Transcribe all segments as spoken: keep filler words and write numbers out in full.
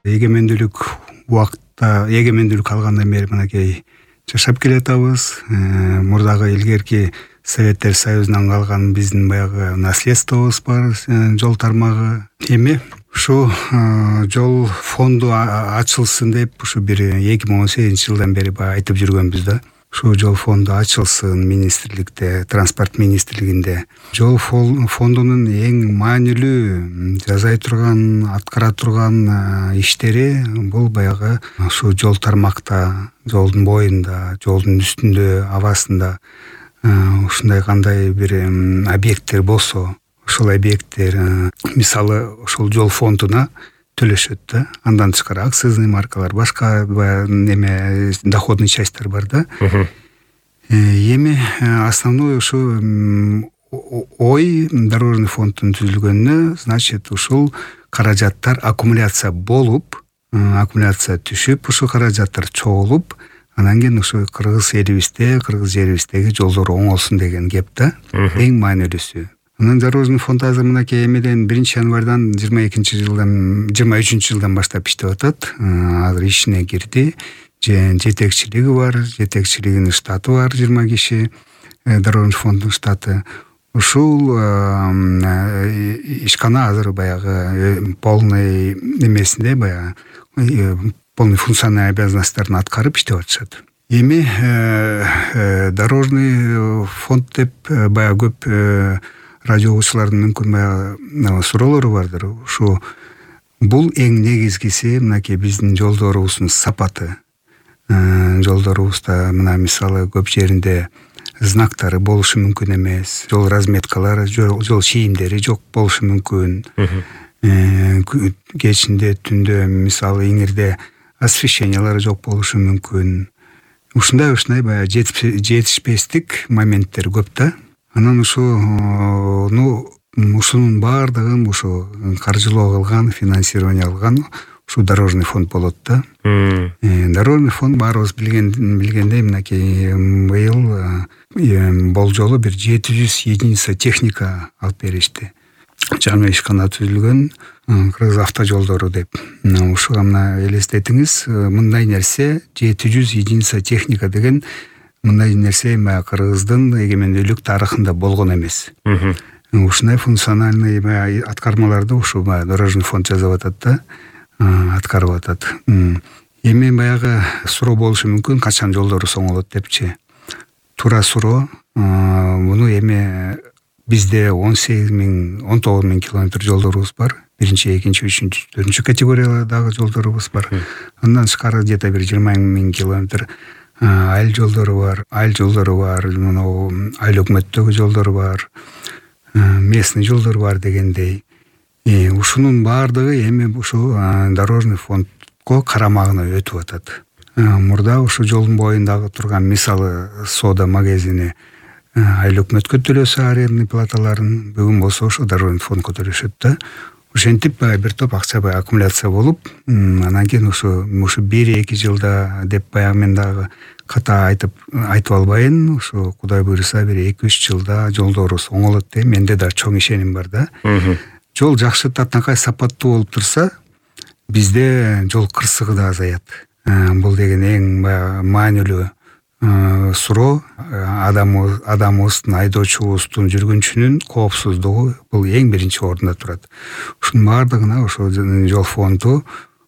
эгемендүүлүк убакта эгемендүүлүк алгандан бери мынакей жашап келатабыз. Мурдагы илгерки Советтер Союзунан калган биздин баягы наследствобуз бар, жол тармагы. Эми ушу жол фонду ачылсын деп ушу бир эки миң он сегизинчи жылдан бери баягы айтып жүргөнбүз да. Ушу жол фонду ачылсын министрликте, транспорт министрлигинде. Жол фондунун эң маанилүү жасай турган, аткара турган иштери бул баягы ушу жол тармакта, жолдун боюнда, жолдун үстүндө, абасында ушундай кандай бир объекттер болсо, ошол объекттер мисалы ошол жол фондуна төлөшөт да. Андан тышкары акцизный маркалар, башка неме доходный частьтер бар да. Эми основной ушу ой дорожный фонддун түзүлгөнүнө, значит, ушул каражаттар аккумуляция болуп, аккумуляция түшүп, ушул каражаттар чогулуп, анан кийин ушу кыргыз элибизде, кыргыз жерибиздеги жолдор оңолсун деген кеп да. Эң маанилүүсү. Анан дорожный фонд азыр мынакей эмеден биринчи январдан жыйырма экинчи жылдан жыйырма үчүнчү жылдан баштап иштеп атат. Азыр ишине кирди. Жетекчилиги бар, жетекчилигинин штаты бар жыйырма киши, дорожный фонддун штаты. Ушул ишкана азыр баягы полный эмесинде, баягы полный функциональный обязанностьтарын аткарып иштеп атышат. Эми дорожный фонд деп баягы көп радио угуучулардын мүмкүн баягы суроолору бардыр. Ушу бул эң негизгиси мынакей биздин жолдорубуздун сапаты. Жолдорубузда мына мисалы көп жеринде знактары болушу мүмкүн эмес, жол разметкалары, жол чийимдери жок болушу мүмкүн. Кечинде, түндө мисалы иңирде освещениялары жок болушу мүмкүн. Ушундай ушундай баягы жетишпестик моменттер көп да. Анан ушу ну ушунун баардыгын ушу каржылоо кылган, финансирование алган ушу дорожный фонд болот да. Дорожный фонд баарыбыз билген билгендей мынакей быйыл болжолу бир жети жүз единица техника алып беришти. Жаңы ишкана түзүлгөн Кыргыз автожолдору деп. Ушуга мына элестетиңиз, мындай нерсе жети жүз единица техника деген мындай нерсе Кыргыздын эгемендүүлүк тарыхында болгон эмес. Ушундай функциональный аткармаларды ушу дорожный фонд жасап атат да, аткарып атат. Эми баягы суроо болушу мүмкүн, качан жолдорубуз оңолот депчи. Туура суроо. Муну эми бизде он сегиз миң, он тогуз миң километр жолдорубуз бар. Биринчи, экинчи, үчүнчү, төртүнчү категориядагы жолдорубуз бар. Андан тышкары где-то бир жыйырма миң километр айыл жолдору бар, айыл жолдору бар, мынау айыл өкмөттөгү жолдор бар, местный жолдор бар дегендей. Ушунун баардыгы эми ушу дорожный фондго карамагына өтүп атат. Мурда ушу жолдун боюндагы турган мисалы сода магазини айыл өкмөткө төлөсө арендный платаларын, бүгүн болсо ушу дорожный фондго төлөшөт да. Ошентип бир топ акча баягы аккумуляция болуп, анан кийин ушу ушу бир эки жылда деп баягы мен дагы ката айтып айтып албайын, ушу Кудай буйруса бир эки үч жылда жолдорубуз оңолот деп менде да чоң ишеним бар да. Жол жакшы татынакай сапаттуу болуп турса, бизде жол кырсыгы да азаят. Бул деген эң маанилүү суроо. Адамыбыздын, айдоочубуздун, жүргүнчүнүн коопсуздугу бул эң биринчи орунда турат. Ушунун баардыгына ошо жол фонду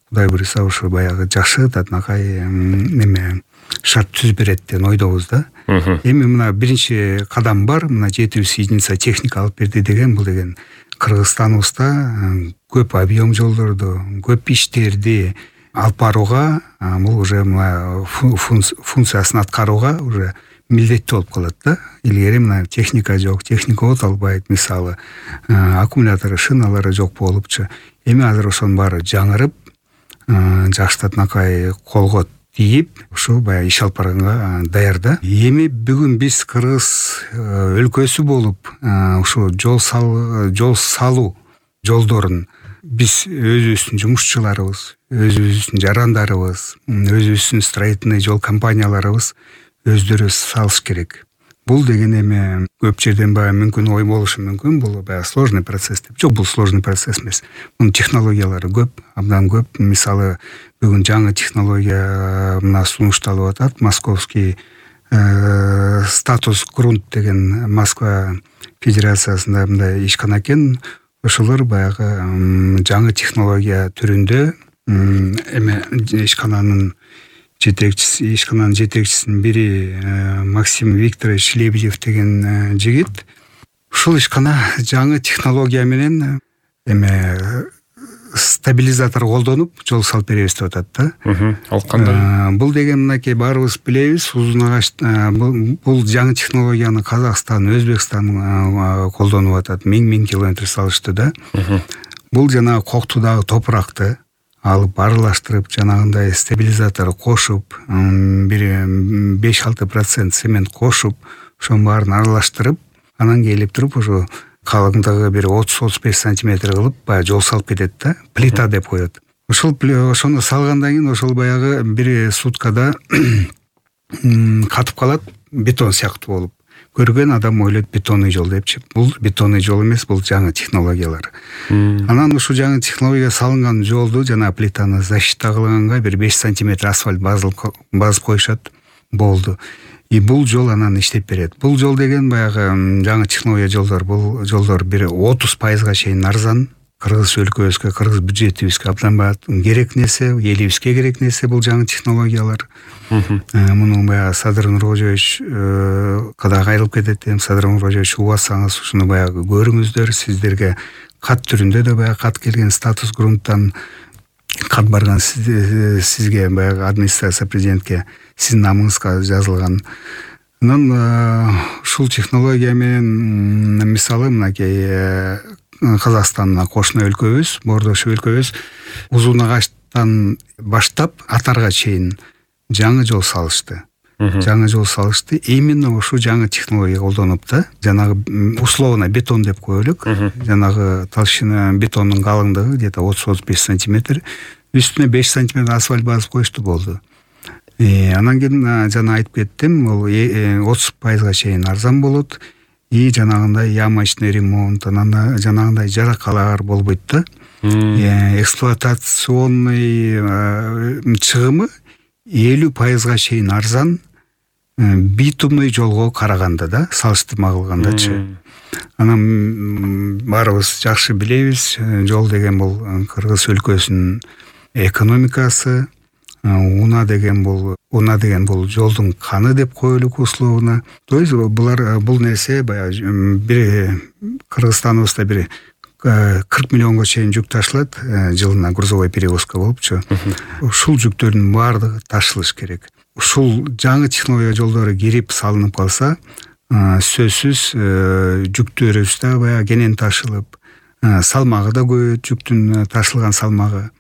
Кудай буйруса ушу баягы жакшы татынакай неме шарт түзүп берет деген ойдобуз да. Эми мына биринчи кадам бар, мына жети жүз единица техника алып берди деген, бул деген Кыргызстаныбызда көп объем жолдорду, көп иштерди алып барууга, бул уже функциясын аткарууга уже милдеттүү болуп калат да. Илгери мына техника жок, техника от албайт, мисалы аккумулятору, шиналары жок болупчу. Эми азыр ошонун баары жаңырып, жакшы татынакай колго тийип, ушу баягы иш алып барганга даяр да. Эми бүгүн биз Кыргыз өлкөсү болуп, ушу жол салуу, жол салуу жолдорун биз өзүбүздүн жумушчуларыбыз, өзүбүздүн жарандарыбыз, өзүбүздүн строительный жол компанияларыбыз өздөрү салыш керек. бул деген эми көп жерден баягы мүмкүн ой болушу мүмкүн, бул баягы сложный процесс деп. Жок, бул сложный процесс эмес. Мунун технологиялары көп, абдан көп. Мисалы, бүгүн жаңы технология мына сунушталып атат. Московский статус грунт деген Москва федерациясында мындай ишкана экен. Ошолор баягы жаңы технология түрүндө эме ишкананын жетекчиси, ишкананын жетекчисинин бири Максим Викторович Лебедев деген жигит. Ушул ишкана жаңы технология менен эме стабилизатор колдонуп жол салып беребиз деп атат да. Ал кандай? Бул деген мынакей баарыбыз билебиз, узун агач бул жаңы технологияны Казакстан, Өзбекстан колдонуп атат. Миң-миң километр салышты да. Бул жана Коктудагы топуракты алып аралаштырып, жанагындай стабилизатор кошуп, бир беш алты процент цемент кошуп, ошонун баарын аралаштырып, анан келип туруп ошо калыңдыгы бир отуз отуз беш сантиметр кылып баягы жол салып кетет да. Плита деп коет. Ошол ошону салгандан кийин ошол баягы бир суткада катып калат, бетон сыяктуу болуп. Көргөн адам ойлойт бетонный жол депчи. Бул бетонный жол эмес, бул жаңы технологиялар. Анан ушул жаңы технология салынган жолду жана плитаны защита кылганга бир беш сантиметр асфальт базып коюшат, болду. И бул жол анан иштеп берет. Бул жол деген баягы жаңы технология жолдор, бул жолдор бир отуз пайызга чейин арзан. Кыргыз өлкөбүзгө, кыргыз бюджетибизге абдан керек нерсе, элибизге керек нерсе бул жаңы технологиялар. Муну баягы Садыр Нуркожоевич када кайрылып кетет эми. Садыр Нуркожоевич убасаңыз ушуну баягы көрүңүздөр. Сиздерге кат түрүндө да баягы кат келген, статус грунттан кат барган сизге баягы администрация президентке сиздин намыңызга жазылган. Анан ушул технология менен мисалы мынакей Казакстандын кошуна өлкөбүз, боордош өлкөбүз узун агачтан баштап атарга чейин жаңы жол салышты. Жаңы жол салышты. Именно ушул жаңы технология колдонуп да, жанагы условно бетон деп коелук. Жанагы толщина бетондун калыңдыгы где-то отуз отуз беш сантиметр, үстүнө беш сантиметр асфальт базып коюшту, болду. Анан кийин жана айтып кеттим, бул отуз пайызга чейин арзан болот. И жанагындай ямочный ремонт, анан жанагындай жаракалар болбойт да. Эксплуатационный чыгымы элүү пайызга чейин арзан битумный жолго караганда да, салыштырма кылгандачы. Анан баарыбыз жакшы билебиз, жол деген бул Кыргыз өлкөсүнүн экономикасы. Уна деген бул уна деген бул жолдун каны деп коелук условно. То есть булар бул нерсе баягы бир Кыргызстаныбызда бир кырк миллионго чейин жүк ташылат жылына, грузовой перевозка болупчу. Ушул жүктөрдүн баардыгы ташылыш керек. Ушул жаңы технология жолдору кирип салынып калса, сөзсүз жүктөрүбүз да баягы кенен ташылып, салмагы да көбөйөт, жүктүн ташылган салмагы.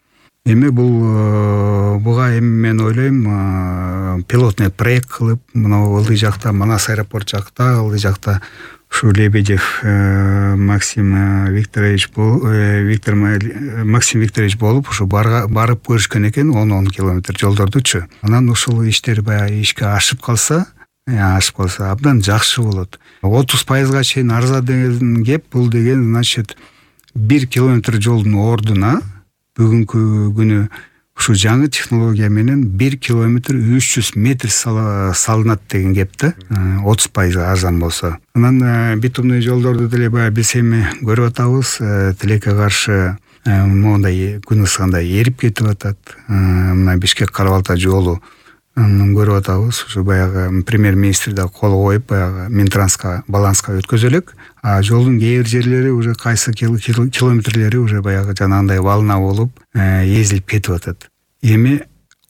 Эми бул буга эми мен ойлойм, пилотный проект кылып, мына ылдый жакта, Манас аэропорт жакта, ылдый жакта ушу Лебедев Максим Викторович Виктор Максим Викторович болуп, ушу барып көрүшкөн экен он он километр жолдордучу. Анан ушул иштер баягы ишке ашып калса, ашып калса абдан жакшы болот. отуз пайызга чейин арзан деген кеп, бул деген значит бир километр жолдун ордуна бүгүнкү күнү ушу жаңы технология менен бир километр үч жүз метр салынат деген кеп да, отуз пайыз арзан болсо. Анан битумный жолдорду деле баягы биз эми көрүп атабыз, тилекке каршы мондай күн ысыгында эрип кетип атат. Мына Бишкек-Кара-Балта жолу көрүп атабыз, ушу баягы премьер-министр да кол коюп баягы Минтранска баланска өткөзөлөк. А жолдун кээ бир жерлери уже кайсы километрлери уже баягы жанагындай волна болуп эзилип кетип атат. Эми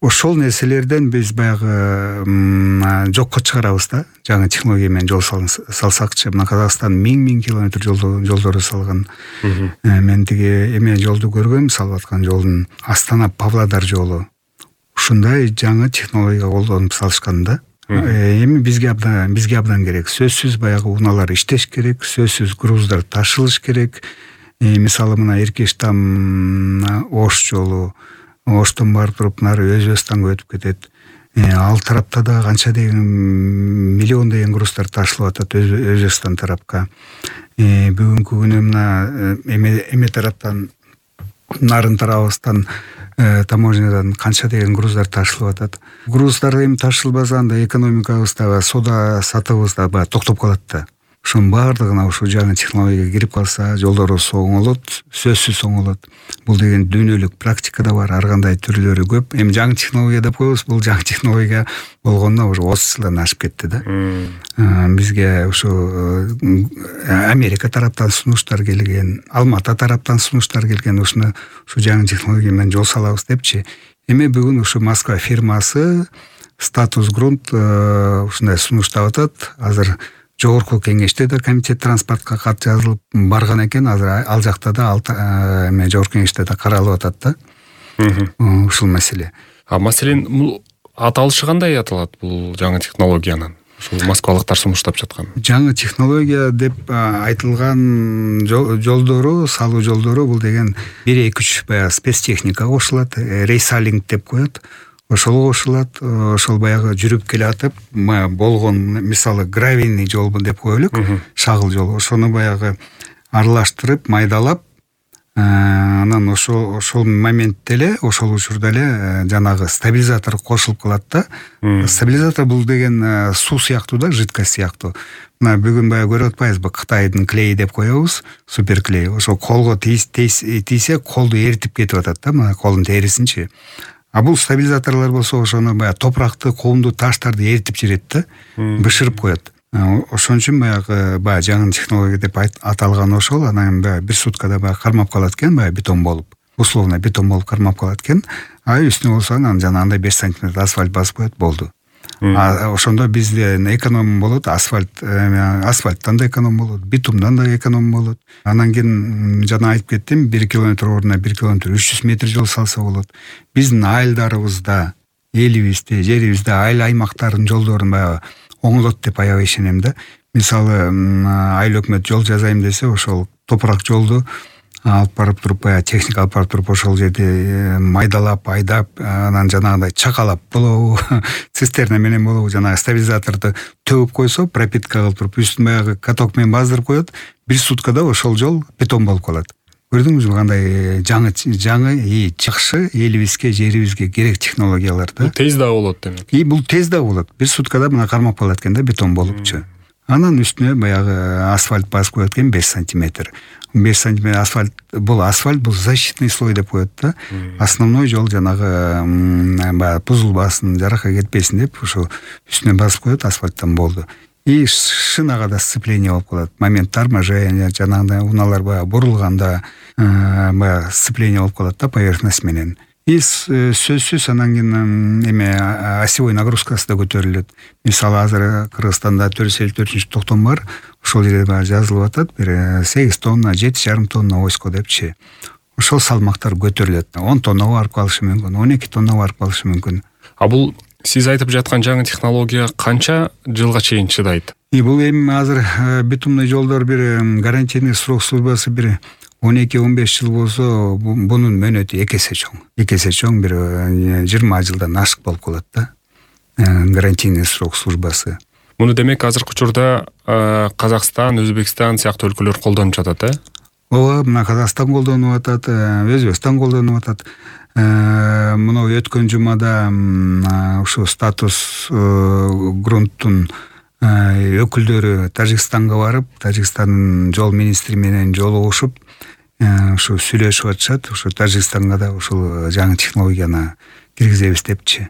ошол нерселерден биз баягы жокко чыгарабыз да, жаңы технология менен жол салсакчы. Мына Казакстан миң-миң километр жолдорду салган. Мен тиги эме жолду көргөм, салып аткан жолдун Астана Павлодар жолу. Ушундай жаңы технология колдонуп салышкан да. Эми бизге абдан бизге абдан керек. Сөзсүз баягы унаалар иштеш керек, сөзсүз груздар ташылыш керек. Мисалы мына Эркештам Ош жолу, Оштон барып туруп нары Өзбекстанга өтүп кетет. ал тарапта да канча деген миллиондогон груздар ташылып атат Өзбекстан тарапка. Бүгүнкү күнү мына эме тараптан, нарын тарабыбыздан таможнядан канча деген груздар ташылып атат. Груздар эми ташылбаса анда экономикабыз да, соода сатыбыз да баягы токтоп калат да. Ошонун баардыгына ушу жаңы технология кирип калса, жолдорубуз оңолот, сөзсүз оңолот. Бул деген дүйнөлүк практикада бар, ар кандай түрлөрү көп. Эми жаңы технология деп коебуз, бул жаңы технология болгондо уже отуз жылдан ашып кетти да. Бизге ушу Америка тараптан сунуштар келген, Алмата тараптан сунуштар келген, ушуну ушу жаңы технология менен жол салабыз депчи. Эми бүгүн ушу Москва фирмасы Статус Грунт ушундай сунуштап атат. Азыр жогорку кеңеште да комитет транспортко кат жазылып барган экен. Азыр ал жакта да эме жогорку кеңеште да каралып атат да. Ушул маселе. А маселен бул аталышы кандай аталат бул жаңы технологиянын? Ушул москвалыктар сунуштап жаткан. Жаңы технология деп айтылган жолдору, салуу жолдору бул деген бир эки үч баягы спецтехника кошулат, рейсалинг деп коет. Ошол кошулат, ошол баягы жүрүп келатып, болгон мисалы гравийный жол деп коелук, шагыл жол. Ошону баягы аралаштырып, майдалап, анан ошол ошол моментте эле, ошол учурда эле жанагы стабилизатор кошулуп калат да. Стабилизатор бул деген суу сыяктуу да, жидкость сыяктуу. Мына бүгүн баягы көрүп атпайбызбы, Кытайдын клейи деп коебуз, суперклей. Ошо колго тийсе, колду эритип кетип атат да, мына колдун терисинчи. А бул стабилизаторлор болсо ошону баягы топуракты, коомду, таштарды эритип жиберет да, бышырып коет. Ошон үчүн баягы баягы жаңы технология деп аталган ошол. Анан баягы бир суткада баягы кармап калат экен, баягы бетон болуп, условно бетон болуп кармап калат экен. А үстүнө болсо анан жанагындай беш сантиметр асфальт басып коет, болду. А ошондо бизде эконом болот, асфальт, асфальттан да эконом болот, битумдан да эконом болот. Анан кийин жана айтып кеттим, бир километр ордуна бир километр үч жүз метр жол салса болот. Биздин айылдарыбызда, элибизде, жерибизде айыл аймактардын жолдорун баягы оңолот деп аябай ишенем да. Мисалы, айыл өкмөт жол жасайм десе, ошол топурак жолду алып барып туруп, баягы техника алып барып туруп, ошол жерде майдалап, айдап, анан жанагындай чакалап болобу, цистерна менен болобу, жанагы стабилизаторду төгүп койсо, пропитка кылып туруп, үстүн баягы каток менен баздырып коет, бир суткада ошол жол бетон болуп калат. Көрдүңүзбү кандай жаңы жаңы и жакшы элибизге, жерибизге керек технологиялар да. Бул тез да болот демек. И бул тез да болот. Бир суткада мына кармап калат экен да, бетон болупчу. Анан үстүнө баягы асфальт басып коет экен беш сантиметр. беш сантиметр асфальт, бул асфальт, бул защитный слой деп коет да. Основной жол жанагы баягы бузулбасын, жаракка кетпесин деп ошо үстүнө басып коет, асфальттан болду. И шинага да сцепление болуп калат. Момент торможения, жанагындай унаалар баягы бурулганда баягы сцепление болуп калат да, поверхность менен. И сөзсүз анан кийин эме осевой нагрузкасы да көтөрүлөт. Мисалы азыр Кыргызстанда төрт жүз элүү төртүнчү токтом бар. Ошол жерде баягы жазылып атат, бир сегиз тонна, жети жарым тонна осько депчи. Ошол салмактар көтөрүлөт. он тоннага барып калышы мүмкүн, он эки тоннага барып калышы мүмкүн. А бул сиз айтып жаткан жаңы технология канча жылга чейин чыдайт? И бул эми азыр битумный жолдор бир гарантийный срок службасы бир он эки он беш жыл болсо, бунун мөөнөтү эки эсе чоң. эки эсе чоң, бир жыйырма жылдан ашык болуп калат да. Гарантийный срок службасы. Муну демек азыркы учурда Казакстан, Өзбекстан сыяктуу өлкөлөр колдонуп жатат, э? Ооба, мына Казакстан колдонуп атат, Өзбекстан колдонуп атат. Мына өткөн жумада ушу Статус Грунттун өкүлдөрү Тажикстанга барып, Тажикстандын жол министри менен жолугушуп, ушу сүйлөшүп атышат. Ушу Тажикстанга да ушул жаңы технологияны киргизебиз депчи.